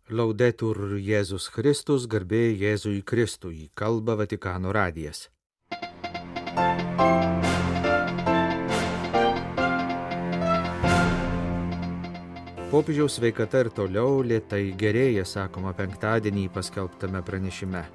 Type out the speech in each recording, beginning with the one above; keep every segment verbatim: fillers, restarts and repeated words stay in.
Laudetur Jėzus Kristus, garbė Jėzui Kristui, kalba Vatikano radijas. Popiežiaus sveikata ir toliau lėtai gerėja, sakoma penktadienį paskelbtame pranešime.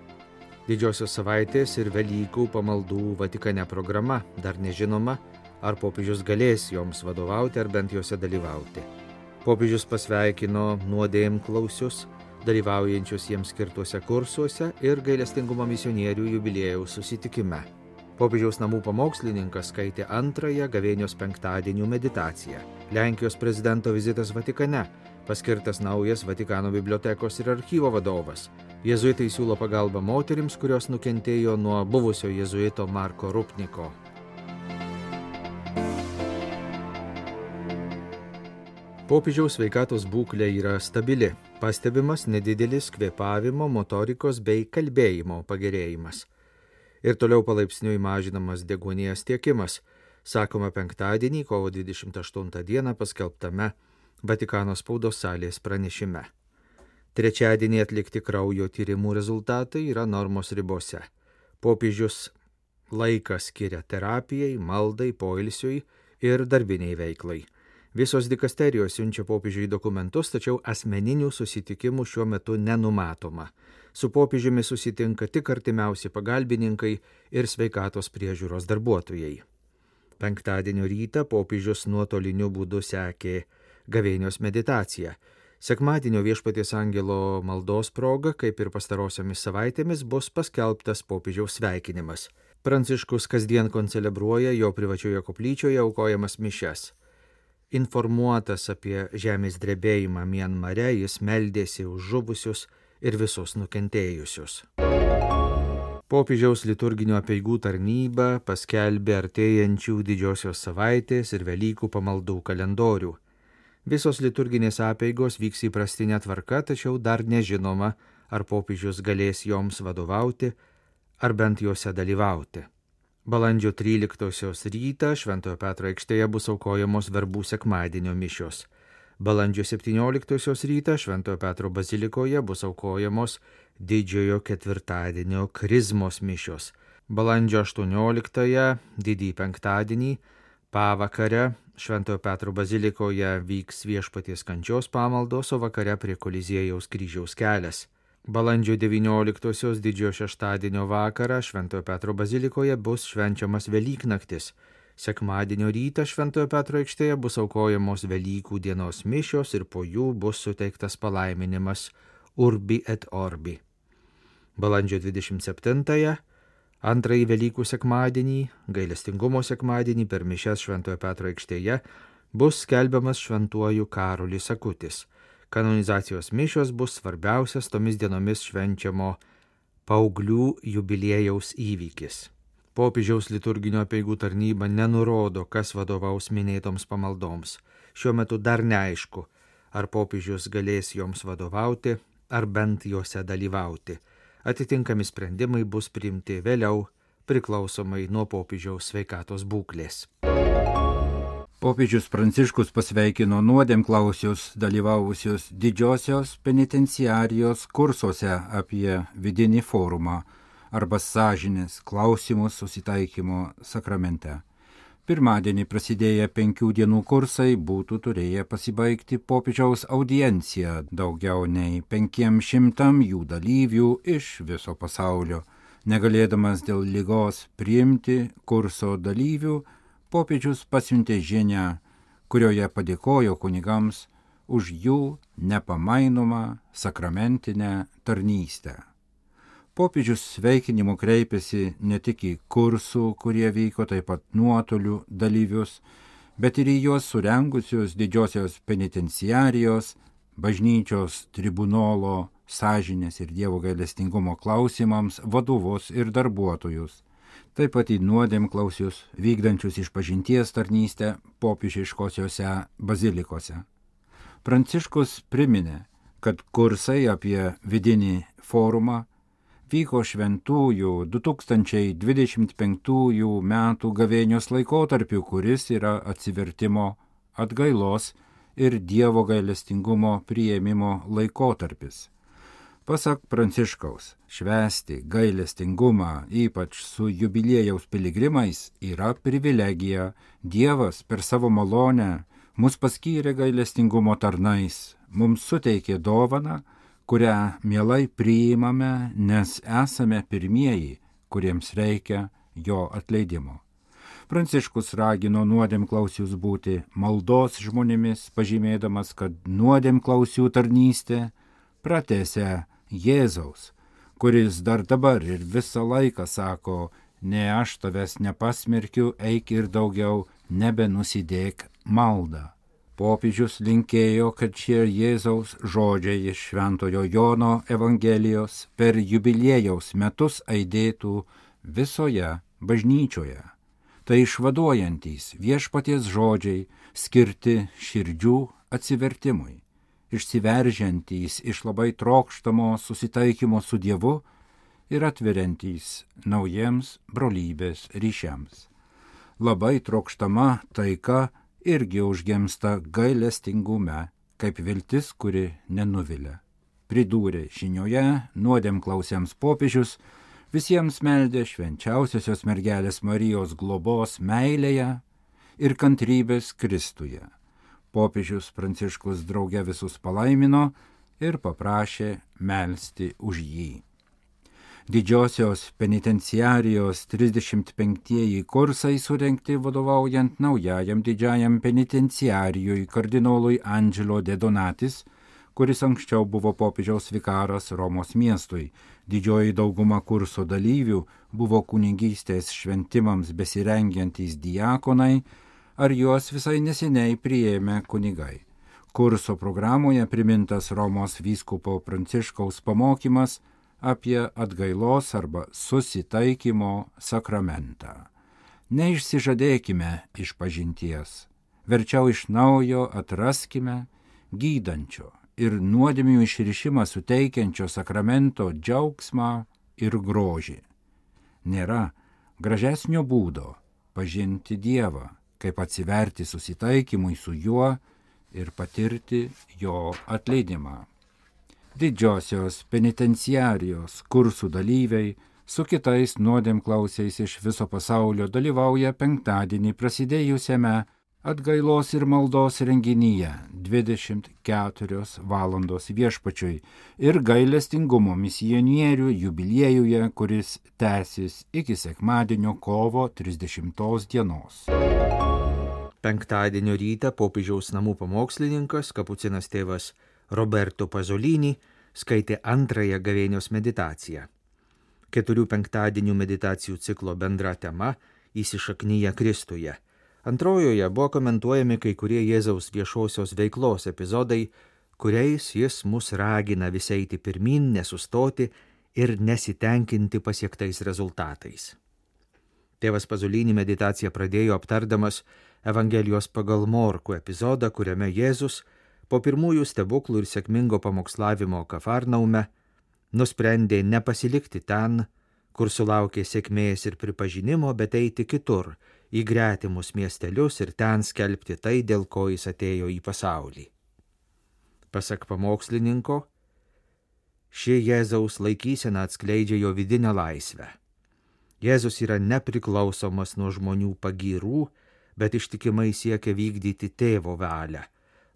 Didžiosios savaitės ir Velykų pamaldų Vatikane programa dar nežinoma, ar popiežius galės joms vadovauti ar bent jose dalyvauti. Popiežius pasveikino nuodėmklausius, dalyvaujančius jiems skirtuose kursuose ir gailestingumo misionierių jubiliejaus susitikime. Popiežiaus namų pamokslininkas skaitė antrąją gavėnios penktadienių meditaciją. Lenkijos prezidento vizitas Vatikane, paskirtas naujas Vatikano bibliotekos ir archyvo vadovas. Jėzuitai siūlo pagalbą moterims, kurios nukentėjo nuo buvusio jėzuito Marko Rupniko. Popiežiaus sveikatos būklė yra stabili, pastebimas nedidelis kvėpavimo, motorikos bei kalbėjimo pagerėjimas. Ir toliau palaipsniui mažinamas deguonies tiekimas, sakoma penktadienį, kovo dvidešimt aštuntą dieną paskelbtame Vatikano spaudos salės pranešime. Trečiadienį atlikti kraujo tyrimų rezultatai yra normos ribose. Popiežius laiką skiria terapijai, maldai, poilsiui ir darbiniai veiklai. Visos dikasterijos siunčia popiežiui dokumentus, tačiau asmeninių susitikimų šiuo metu nenumatoma. Su popiežiumi susitinka tik artimiausi pagalbininkai ir sveikatos priežiūros darbuotojai. Penktadienio rytą popiežius nuotoliniu būdu sekė gavėnios meditaciją. Sekmadienio Viešpaties angelo maldos proga, kaip ir pastarosiomis savaitėmis, bus paskelbtas popiežiaus sveikinimas. Pranciškus kasdien koncelebruoja jo privačioje koplyčioje aukojamas mišias. Informuotas apie žemės drebėjimą Mianmare, jis meldėsi už žuvusius ir visus nukentėjusius. Popiežiaus liturginio apeigų tarnyba paskelbė artėjančių didžiosios savaitės ir Velykų pamaldų kalendorių. Visos liturginės apeigos vyks įprastinė tvarka, tačiau dar nežinoma, ar popiežius galės joms vadovauti, ar bent juose dalyvauti. Balandžio tryliktosios rytą Šventojo Petro aikštėje bus aukojamos verbų sekmadienio mišios. Balandžio septynioliktosios rytą Šventojo Petro bazilikoje bus aukojamos didžiojo ketvirtadienio krizmos mišios. Balandžio aštuonioliktąją, didįjį penktadienį, pavakare Šventojo Petro bazilikoje vyks Viešpaties kančios pamaldos, o vakare prie Koliziejaus kryžiaus kelias. Balandžio devynioliktosios didžiojo šeštadienio vakarą Šventojo Petro bazilikoje bus švenčiamas Velyknaktis. Sekmadienio rytą Šventojo Petro aikštėje bus aukojamos Velykų dienos mišios ir po jų bus suteiktas palaiminimas Urbi et Orbi. Balandžio dvidešimt septintąją, antrąjį Velykų sekmadienį, gailestingumo sekmadienį per mišias Šventojo Petro aikštėje bus skelbiamas šventuoju Karolis Akutis. Kanonizacijos mišios bus svarbiausias tomis dienomis švenčiamo paauglių jubiliejaus įvykis. Popiežiaus liturginio apeigų tarnyba nenurodo, kas vadovaus minėtoms pamaldoms. Šiuo metu dar neaišku, ar popiežius galės joms vadovauti, ar bent juose dalyvauti. Atitinkami sprendimai bus priimti vėliau, priklausomai nuo popiežiaus sveikatos būklės. Popiežius Pranciškus pasveikino nuodėmklausius dalyvavusius didžiosios penitenciarijos kursuose apie vidinį forumą arba sąžinės klausimus susitaikymo sakramente. Pirmadienį prasidėję penkių dienų kursai būtų turėję pasibaigti popiežiaus audienciją daugiau nei penkiem šimtam jų dalyvių iš viso pasaulio. Negalėdamas dėl ligos priimti kurso dalyvių, popiežius pasiuntė žinią, kurioje padėkojo kunigams už jų nepamainomą sakramentinę tarnystę. Popiežius sveikinimu kreipėsi ne tik į kursų, kurie vyko taip pat nuotoliu dalyvius, bet ir į juos surengusius didžiosios penitenciarijos, bažnyčios tribunolo, sąžinės ir Dievo gailestingumo klausimams vadovus ir darbuotojus. Taip pat į nuodėmklausius vykdančius išpažinties tarnystę popiežiškosiose bazilikose. Pranciškus priminė, kad kursai apie vidinį forumą vyko šventųjų du tūkstančiai dvidešimt penktųjų metų gavėnios laikotarpiu, kuris yra atsivertimo, atgailos ir Dievo gailestingumo priėmimo laikotarpis. Pasak Pranciškaus, švęsti gailestingumą, ypač su jubiliejaus piligrimais, yra privilegija. Dievas per savo malonę mus paskyrė gailestingumo tarnais, mums suteikė dovaną, kurią mielai priimame, nes esame pirmieji, kuriems reikia jo atleidimo. Pranciškus ragino nuodėmklausius būti maldos žmonėmis, pažymėdamas, kad nuodėmklausių tarnystė pratęsia Jėzaus, kuris dar dabar ir visą laiką sako, ne aš tavęs nepasmerkiu, eik ir daugiau nebenusidėk maldą. Popiežius linkėjo, kad šie Jėzaus žodžiai iš Šventojo Jono Evangelijos per jubiliejaus metus aidėtų visoje bažnyčioje. Tai išvaduojantys viešpaties žodžiai skirti širdžių atsivertimui, išsiveržiantys iš labai trokštamo susitaikymo su Dievu ir atveriantys naujiems brolybės ryšiams. Labai trokštama taika irgi užgimsta gailestingume, kaip viltis, kuri nenuvilia. Pridūrė žinioje nuodėmklausiams popiežius, visiems meldė švenčiausiosios mergelės Marijos globos meilėje ir kantrybės Kristuje. Popiežius Pranciškus drauge visus palaimino ir paprašė melsti už jį. Didžiosios penitenciarijos trisdešimt penktieji kursai surengti vadovaujant naujajam didžiajam penitenciarijui kardinolui Angelo de Donatis, kuris anksčiau buvo popiežiaus vikaras Romos miestui. Didžioji dauguma kurso dalyvių buvo kunigystės šventimams besirengiantys diakonai ar juos visai neseniai priėmė kunigai. Kurso programoje primintas Romos vyskupo Pranciškaus pamokymas apie atgailos arba susitaikymo sakramentą. Neišsižadėkime išpažinties, verčiau iš naujo atraskime gydančio ir nuodėmių išrišimą suteikiančio sakramento džiaugsmą ir grožį. Nėra gražesnio būdo pažinti Dievą, kaip atsiverti susitaikymui su juo ir patirti jo atleidimą. Didžiosios penitenciarijos kursų dalyviai su kitais nuodėmklausiais iš viso pasaulio dalyvauja penktadienį prasidėjusiame atgailos ir maldos renginyje dvidešimt keturios valandos viešpačiui ir gailestingumo misionierių jubiliejuje, kuris tęsis iki sekmadienio kovo trisdešimtos dienos. Penktadienio rytą popiežiaus namų pamokslininkas, kapucinas tėvas Roberto Pasolini, skaitė antrąją gavėnios meditaciją. Keturių penktadienių meditacijų ciklo bendra tema įsišaknyja Kristuje. Antrojoje buvo komentuojami kai kurie Jėzaus viešosios veiklos epizodai, kuriais jis mus ragina vis eiti pirmyn, nesustoti ir nesitenkinti pasiektais rezultatais. Tėvas Pasolini meditaciją pradėjo aptardamas Evangelijos pagal Morkų epizodą, kuriame Jėzus po pirmųjų stebuklų ir sėkmingo pamokslavimo Kafarnaume nusprendė nepasilikti ten, kur sulaukė sėkmės ir pripažinimo, bet eiti kitur, į gretimus miestelius ir ten skelbti tai, dėl ko jis atėjo į pasaulį. Pasak pamokslininko, ši Jėzaus laikysena atskleidžia jo vidinę laisvę. Jėzus yra nepriklausomas nuo žmonių pagyrų, bet ištikimai siekia vykdyti tėvo valią,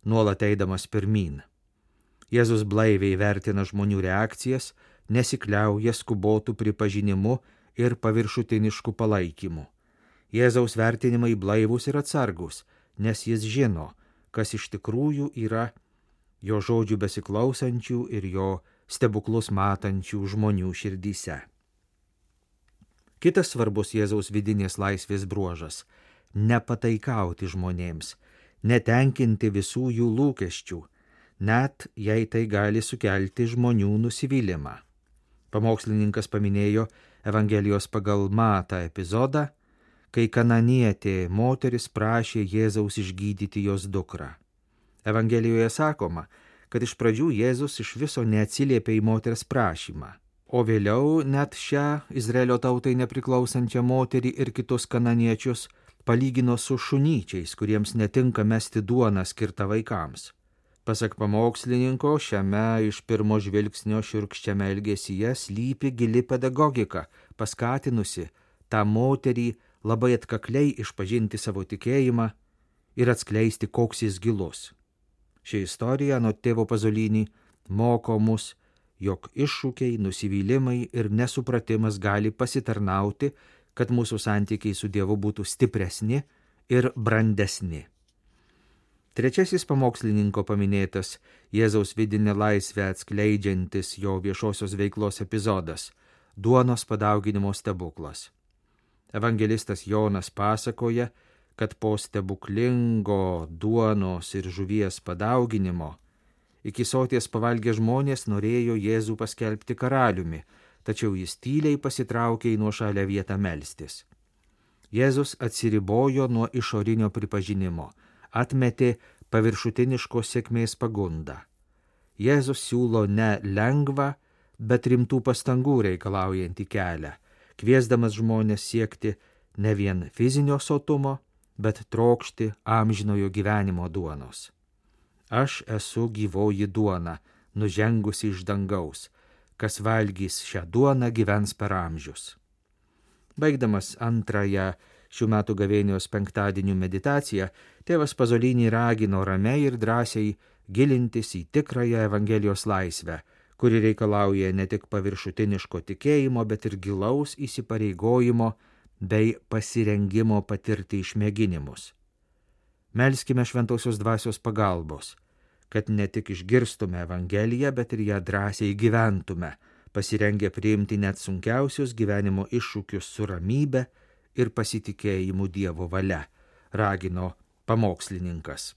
nuolat eidamas pirmyn. Jėzus blaiviai vertina žmonių reakcijas, nesikliauja skubotų pripažinimu ir paviršutinišku palaikymu. Jėzaus vertinimai blaivūs ir atsargus, nes jis žino, kas iš tikrųjų yra jo žodžių besiklausančių ir jo stebuklus matančių žmonių širdyse. Kitas svarbus Jėzaus vidinės laisvės bruožas – nepataikauti žmonėms, netenkinti visų jų lūkesčių, net jei tai gali sukelti žmonių nusivylimą. Pamokslininkas paminėjo Evangelijos pagal Matą epizodą, kai kananietė moteris prašė Jėzaus išgydyti jos dukrą. Evangelijoje sakoma, kad iš pradžių Jėzus iš viso neatsiliepė į moters prašymą, o vėliau net šią Izraelio tautai nepriklausančią moterį ir kitus kananiečius palygino su šunyčiais, kuriems netinka mesti duoną skirtą vaikams. Pasak pamokslininko, šiame iš pirmo žvilgsnio šiurkščiame elgesyje slypi gili pedagogika, paskatinusi tą moterį labai atkakliai išpažinti savo tikėjimą ir atskleisti, koks jis gilus. Ši istorija anot tėvo Pazolinį moko mus, jog iššūkiai, nusivylimai ir nesupratimas gali pasitarnauti, kad mūsų santykiai su Dievu būtų stipresni ir brandesni. Trečiasis pamokslininko paminėtas Jėzaus vidinę laisvę atskleidžiantis jo viešosios veiklos epizodas – duonos padauginimo stebuklas. Evangelistas Jonas pasakoja, kad po stebuklingo duonos ir žuvies padauginimo iki soties pavalgę žmonės norėjo Jėzų paskelbti karaliumi, tačiau jis tyliai pasitraukė į nuošalę vietą melstis. Jėzus atsiribojo nuo išorinio pripažinimo, atmetė paviršutiniškos sėkmės pagundą. Jėzus siūlo ne lengvą, bet rimtų pastangų reikalaujantį kelią, kviesdamas žmonės siekti ne vien fizinio sotumo, bet trokšti amžinojo gyvenimo duonos. Aš esu gyvoji duona, nužengusi iš dangaus, kas valgys šią duoną gyvens per amžius. Baigdamas antrąją šių metų gavėnios penktadienių meditaciją, tėvas Pazolinį ragino ramiai ir drąsiai gilintis į tikrąją Evangelijos laisvę, kuri reikalauja ne tik paviršutiniško tikėjimo, bet ir gilaus įsipareigojimo bei pasirengimo patirti išmėginimus. Melskime šventosios dvasios pagalbos, kad ne tik išgirstume Evangeliją, bet ir ją drąsiai gyventume, pasirengę priimti net sunkiausius gyvenimo iššūkius su ramybe ir pasitikėjimu Dievo valia, ragino pamokslininkas.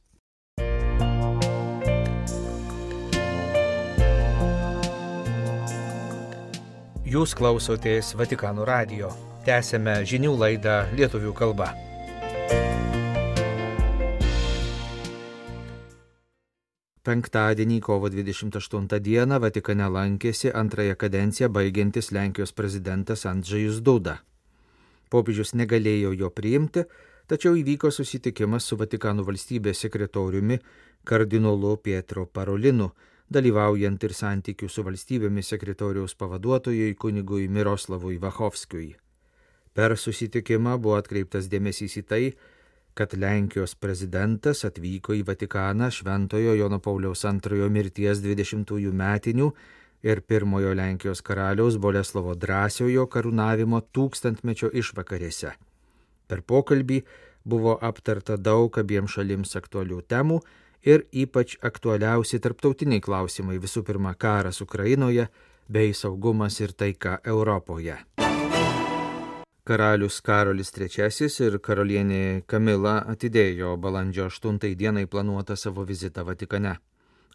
Jūs klausotės Vatikano radijo. Tęsėme žinių laidą lietuvių kalba. Penktadienį, kovo dvidešimt aštuntą dieną, Vatikane lankėsi antrąją kadenciją baigiantis Lenkijos prezidentas Andžejus Duda. Popiežius negalėjo jo priimti, tačiau įvyko susitikimas su Vatikano valstybės sekretoriumi kardinolu Pietro Parolinu, dalyvaujant ir santykių su valstybėmis sekretoriaus pavaduotojui kunigui Miroslavui Vachovskiui. Per susitikimą buvo atkreiptas dėmesys į tai, kad Lenkijos prezidentas atvyko į Vatikaną Šventojo Jono Pauliaus antrojo mirties dvidešimtųjų metinių ir pirmojo Lenkijos karaliaus Boleslovo Drąsiojo karūnavimo tūkstantmečio išvakarėse. Per pokalbį buvo aptarta daug abiems šalims aktualių temų ir ypač aktualiausi tarptautiniai klausimai, visų pirma karas Ukrainoje bei saugumas ir taika Europoje. Karalius Karolis trečiasis ir karalienė Kamila atidėjo balandžio aštuntai dienai planuotą savo vizitą Vatikane.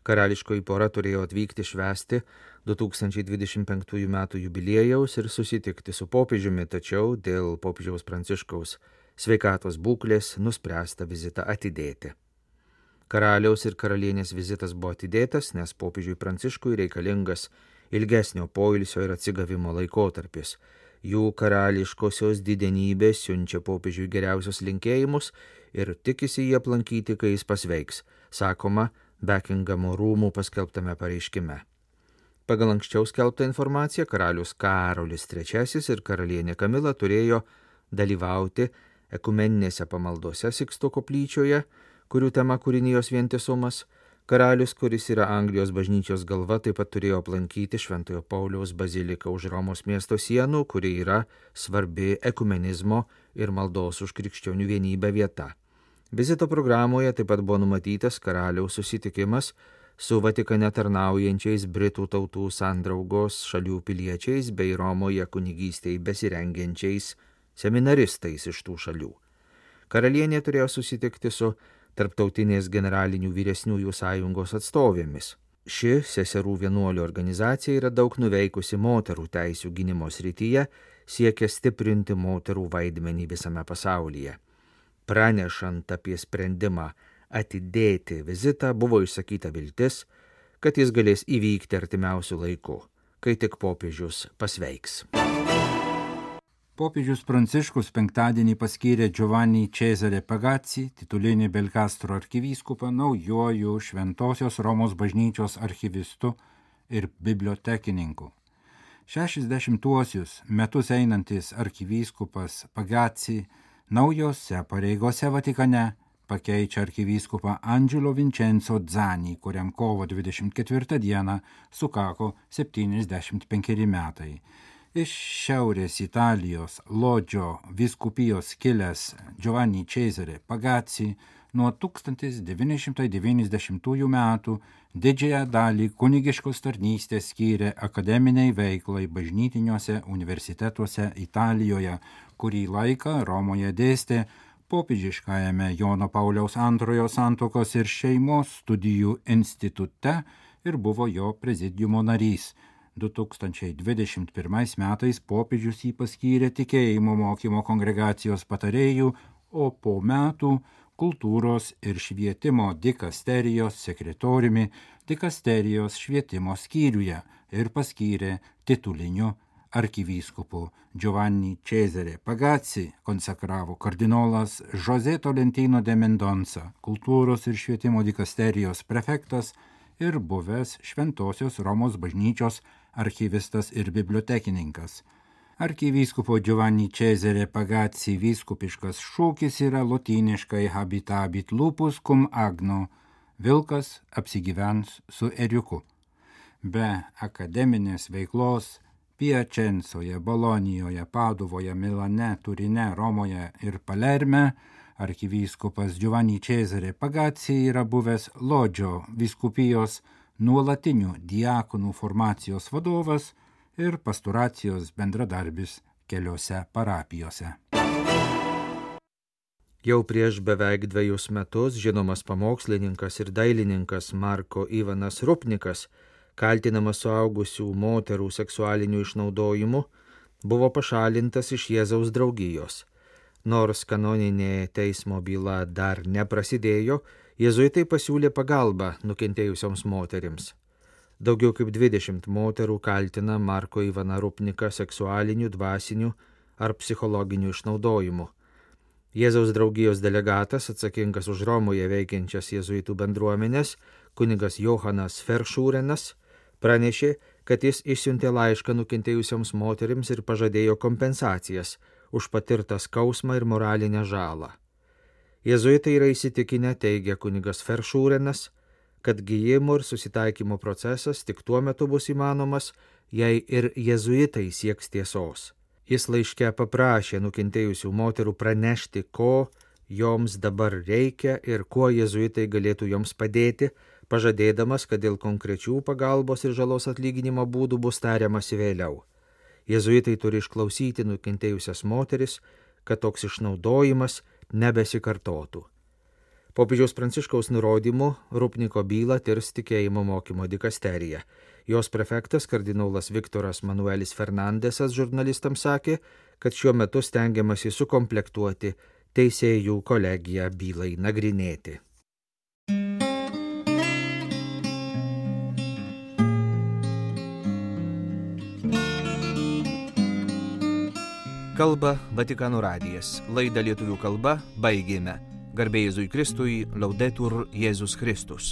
Karališkoji pora turėjo atvykti švęsti du tūkstančiai dvidešimt penktųjų metų jubiliejaus ir susitikti su popiežiumi, tačiau dėl popiežiaus Pranciškaus sveikatos būklės nuspręsta vizitą atidėti. Karaliaus ir karalienės vizitas buvo atidėtas, nes popiežiui Pranciškui reikalingas ilgesnio poilsio ir atsigavimo laikotarpis. Jų karališkosios didenybės siunčia popiežiui geriausius linkėjimus ir tikisi jį aplankyti, kai jis pasveiks, sakoma Bekingamo rūmų paskelbtame pareiškime. Pagal anksčiau skelbtą informaciją, karalius Karolis trečiasis ir karalienė Kamila turėjo dalyvauti ekumeninėse pamaldose Siksto koplyčioje, kurių tema kūrinijos vientisumas. Karalius, kuris yra Anglijos bažnyčios galva, taip pat turėjo aplankyti Šventojo Pauliaus baziliką už Romos miesto sienų, kuri yra svarbi ekumenizmo ir maldos už krikščionių vienybę vieta. Vizito programoje taip pat buvo numatytas karaliaus susitikimas su Vatikane tarnaujančiais Britų tautų sandraugos šalių piliečiais bei Romoje kunigystei besirengiančiais seminaristais iš tų šalių. Karalienė turėjo susitikti su Tarptautinės generalinių vyresniųjų sąjungos atstovėmis. Ši seserų vienuolių organizacija yra daug nuveikusi moterų teisių gynimo srityje, siekia stiprinti moterų vaidmenį visame pasaulyje. Pranešant apie sprendimą atidėti vizitą, buvo išsakyta viltis, kad jis galės įvykti artimiausių laikų, kai tik popiežius pasveiks. Popiežius Pranciškus penktadienį paskyrė Giovanni Cesare Pagazzi, titulinį Belcastro arkivyskupą, naujuoju Šventosios Romos bažnyčios archivistu ir bibliotekininku. šešiasdešimtuosius metus einantis arkivyskupas Pagazzi naujose pareigose Vatikane pakeičia arkivyskupą Angelo Vincenzo Zani, kuriam kovo dvidešimt ketvirtą dieną sukako septyniasdešimt penkeri metai. Iš Šiaurės Italijos Lodžio vyskupijos kilęs Giovanni Cesare Pagazzi nuo tūkstantis devyni šimtai devyniasdešimtųjų metų didžiąją dalį kunigiškos tarnystės skyrė akademiniai veiklai bažnytiniuose universitetuose Italijoje, kurį laiką Romoje dėstė popiežiškajame Jono Pauliaus antrojo santuokos ir šeimos studijų institute ir buvo jo prezidiumo narys. du tūkstančiai dvidešimt pirmais metais popiežius jį paskyrė tikėjimo mokymo kongregacijos patarėjų, o po metų kultūros ir švietimo dikasterijos sekretoriumi dikasterijos švietimo skyriuje ir paskyrė tituliniu arkivyskupu. Giovanni Cesare Pagazzi konsekravo kardinolas José Tolentino de Mendonça, kultūros ir švietimo dikasterijos prefektas ir buvęs Šventosios Romos bažnyčios archivistas ir bibliotekininkas. Arkivyskupo Giovanni Cesare Pagazzi vyskupiškas šūkis yra lotyniškai habitabit lupus cum agno, vilkas apsigyvens su ėriuku. Be akademinės veiklos Piacenzoje, Bolonijoje, Paduvoje, Milane, Turine, Romoje ir Palerme arkivyskupas Giovanni Cesare Pagazzi yra buvęs Lodžio vyskupijos nuolatinių diakonų formacijos vadovas ir pastoracijos bendradarbis keliose parapijose. Jau prieš beveik dvejus metus žinomas pamokslininkas ir dailininkas Marko Ivanas Rupnikas, kaltinamas suaugusių moterų seksualiniu išnaudojimu, buvo pašalintas iš Jėzaus draugijos. Nors kanoninė teismo byla dar neprasidėjo, jėzuitai pasiūlė pagalbą nukentėjusioms moterims. Daugiau kaip dvidešimt moterų kaltina Marko Ivaną Rupniką seksualiniu, dvasiniu ar psichologiniu išnaudojimu. Jėzaus draugijos delegatas, atsakingas už Romoje veikiančias jėzuitų bendruomenės, kunigas Johanas Feršūrenas, pranešė, kad jis išsiuntė laišką nukentėjusioms moterims ir pažadėjo kompensacijas už patirtą skausmą ir moralinę žalą. Jėzuitai yra įsitikinę, teigia kunigas Feršūrenas, kad gijimo ir susitaikymo procesas tik tuo metu bus įmanomas, jei ir jėzuitai sieks tiesos. Jis laiške paprašė nukentėjusių moterų pranešti, ko joms dabar reikia ir kuo jėzuitai galėtų joms padėti, pažadėdamas, kad dėl konkrečių pagalbos ir žalos atlyginimo būdų bus tariamasi vėliau. Jėzuitai turi išklausyti nukentėjusias moteris, kad toks išnaudojimas nebesikartotų. Popiežiaus Pranciškaus nurodymu Rupniko bylą tirs tikėjimo mokymo dikasterija. Jos prefektas kardinolas Viktoras Manuelis Fernandesas žurnalistams sakė, kad šiuo metu stengiamasi sukomplektuoti teisėjų kolegiją bylai nagrinėti. Kalba Vatikano radijas. Laidą lietuvių kalba baigėme. Garbė Jėzui Kristui, Laudetur Jėzus Kristus.